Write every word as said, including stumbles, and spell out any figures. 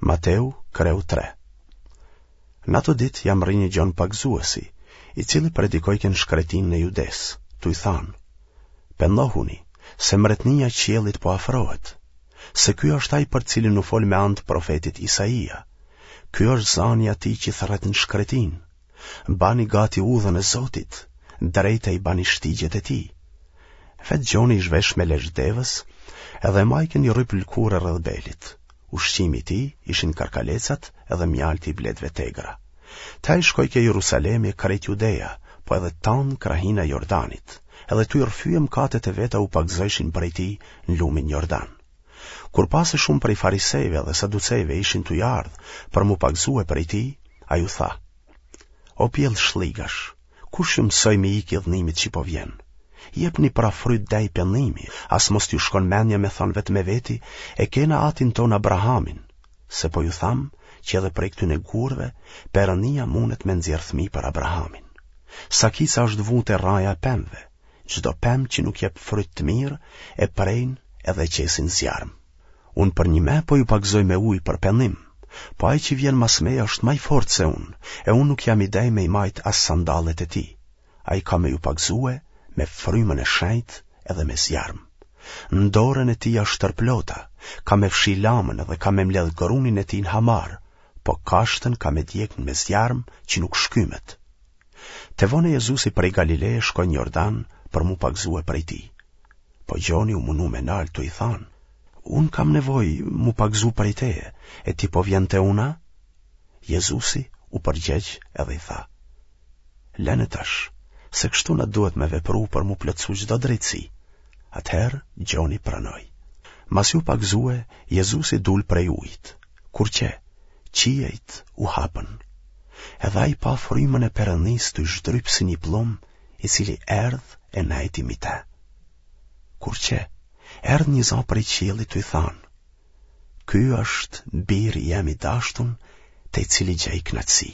Mateu, kreu tre. Në ato ditë ia mrri një Gjon Pagëzuesi, i cili predikojke në shkretinën e Judesë, tuj thanë: Pendohuni, se mbretnia e qiellit po afrohet, se ky është ai për cilin u fol me anë të profetit Isaia. Ky është zani i atij që thërret në shkretinë. Bani gati udhën e Zotit, drejta i bani shtigjet e tij. Vetë Gjoni ish vesh me lesh devës, edhe majke një rryp lëkure rreth belit. Ushqimi i tij ishin karkalecat edhe mjalti i bletëve t'egra. Te ai shkojke Jerusalemi e krejt Judeja, po edhe tanë krahina e Jordanit, edhe tuj rrëfye mëkatet e veta u pagëzojshin prej tij në lumin Jordan. Kur pa se shumë prej farisejve dhe saducejve ishin tuj ardhë për m'u pagëzue prej tij, ai u tha: O pjellë shlligash, kush ju mësoi me ikë idhnimit që po vjen? Jepni pra fryt dej pendimi, as mos t'ju shkon mendja me thanë vetë me veti, e kena atin tonë Abrahamin, se po ju tham që edhe prej këtyne gurëve, Perëndia mundet me nxjerrë fëmijë për Abrahamin. Sakica është vu te rraja e pemëve, çdo pemë që nuk jep fryt të mirë, e prejnë edhe e qesin n'zjarm. Unë përnjime po ju pagëzoj me ujë për pendim, po ai që vjen mas meje është ma i fortë se unë, e unë nuk jam i dej me i majtë as sandallet e tij. Ai ka me ju pagëzue me frymën e shenjtë edhe me zjarm. Në dorën e tij është tërplota, ka me fshi lamën edhe ka me mbledh grunin e tij në hamar, po kashtën ka me djegë me zjarm që nuk shkymet. Te vone Jezusi prej Galileje shkoi në Jordan për m'u pagëzue prej tij. Po Gjoni u munu me nalë tuj i thanë: Unë kam nevojë m'u pagëzu prej teje, e ti po vjen te unë a? Jezusi u përgjegj edhe i tha: Lene tash, se kështu na duhet me vepru për m'u plotësu çdo drejtësi. Atëherë Gjoni pranoi. Masi u pagëzue, Jezusi dul prej ujit. Kur qe, qiejt u hapën. Edhe ai pa frymën e Perëndisë tuj zhdryp si një pllum, i cili erdh e nejti mi te. Kur qe, erdh një za prej qiellit tuj thanë: Ky është biri jem i dashtun, te i cili gjej kënaqësi.